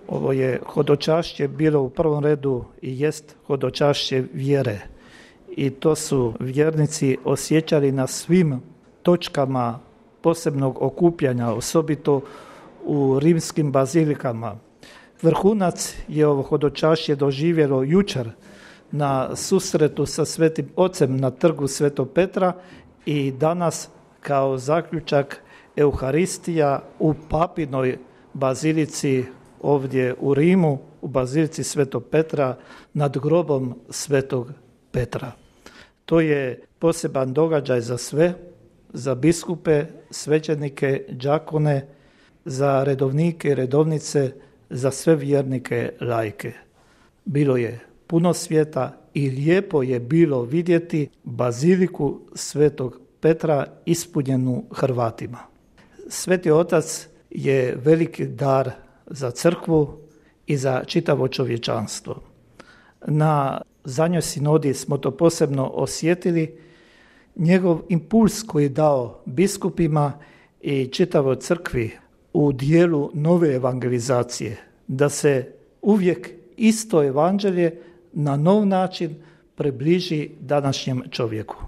Ovo je hodočašće bilo u prvom redu i jest hodočašće vjere. I to su vjernici osjećali na svim točkama posebnog okupljanja, osobito u rimskim bazilikama. Vrhunac je ovo hodočašće doživjelo jučer na susretu sa Svetim Ocem na trgu Svetog Petra i danas kao zaključak Euharistija u Papinoj bazilici ovdje u Rimu, u bazilici Svetog Petra nad grobom Svetog Petra. To je poseban događaj za sve, za biskupe, svećenike, đakone, za redovnike i redovnice, za sve vjernike laike. Bilo je puno svijeta i lijepo je bilo vidjeti baziliku Svetog Petra ispunjenu Hrvatima. Sveti Otac je veliki dar za crkvu i za čitavo čovječanstvo. Na zadnjoj sinodi smo to posebno osjetili, njegov impuls koji je dao biskupima i čitavoj crkvi u dijelu nove evangelizacije, da se uvijek isto evanđelje na nov način približi današnjem čovjeku.